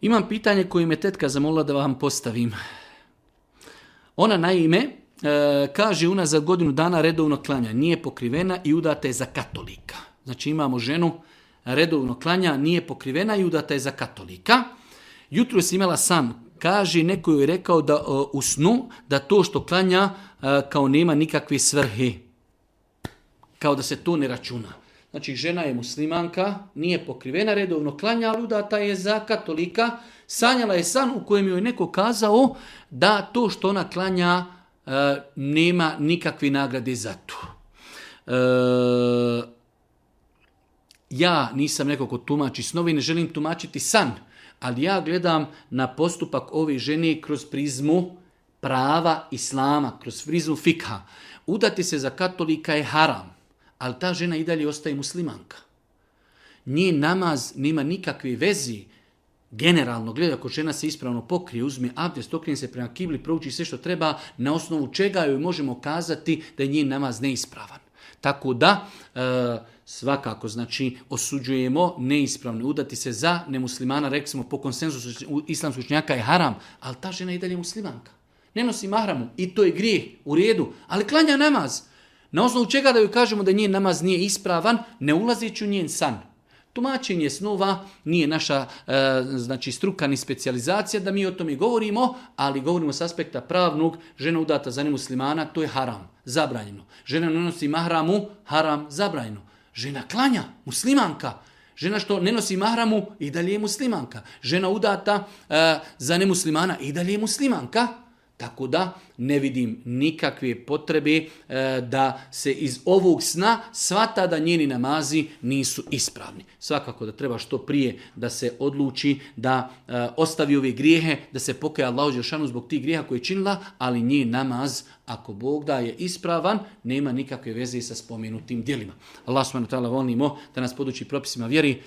Imam pitanje koje me tetka zamolila da vam postavim. Ona naime kaže unazad godinu dana redovno klanja, nije pokrivena i udata je za katolika. Znači imamo ženu, redovno klanja, nije pokrivena i udata je za katolika. Jutro je imala san, kaže, neko joj je rekao da u snu da to što klanja kao nema nikakve svrhe. Kao da se to ne računa. Znači žena je muslimanka, nije pokrivena, redovno klanja, ali udata je za katolika. Sanjala je san u kojem joj je neko kazao da to što ona klanja nema nikakve nagrade za to. Ja nisam neko ko tumači snove i ne želim tumačiti san, ali ja gledam na postupak ove žene kroz prizmu prava islama, kroz prizmu fikha. Udati se za katolika je haram, ali ta žena i dalje ostaje muslimanka. Njen namaz nema nikakve vezi. Generalno, gleda, ako žena se ispravno pokrije, uzme abdest, okrene se prema kibli, prouči sve što treba, na osnovu čega joj možemo kazati da je njen namaz neispravan. Tako da, svakako, znači, osuđujemo neispravno. Udati se za nemuslimana, rekli smo, po konsenzusu islamskog učenjaka je haram, ali ta žena i dalje muslimanka. Ne nosi mahramu i to je grijeh, u redu, ali klanja namaz. Na osnovu čega da joj kažemo da njen namaz nije ispravan, ne ulazeći u njen san. Tumačenje snova nije naša znači struka ni specijalizacija da mi o tome govorimo, ali govorimo s aspekta pravnog, žena udata za nemuslimana, to je haram, zabranjeno. Žena ne nosi mahramu, haram, zabranjeno. Žena klanja, muslimanka. Žena što ne nosi mahramu, i dalje je muslimanka. Žena udata za nemuslimana, i dalje je muslimanka. Tako da ne vidim nikakve potrebe da se iz ovog sna shvata da njeni namazi nisu ispravni. Svakako da treba što prije da se odluči da ostavi ove grijehe, da se pokaje Allahu dželešanu zbog tih grijeha koje je činila, ali njen namaz, ako Bog da je ispravan, nema nikakve veze sa spomenutim djelima. Allah subhanahu wa ta'ala volimo da nas poduči propisima vjeri.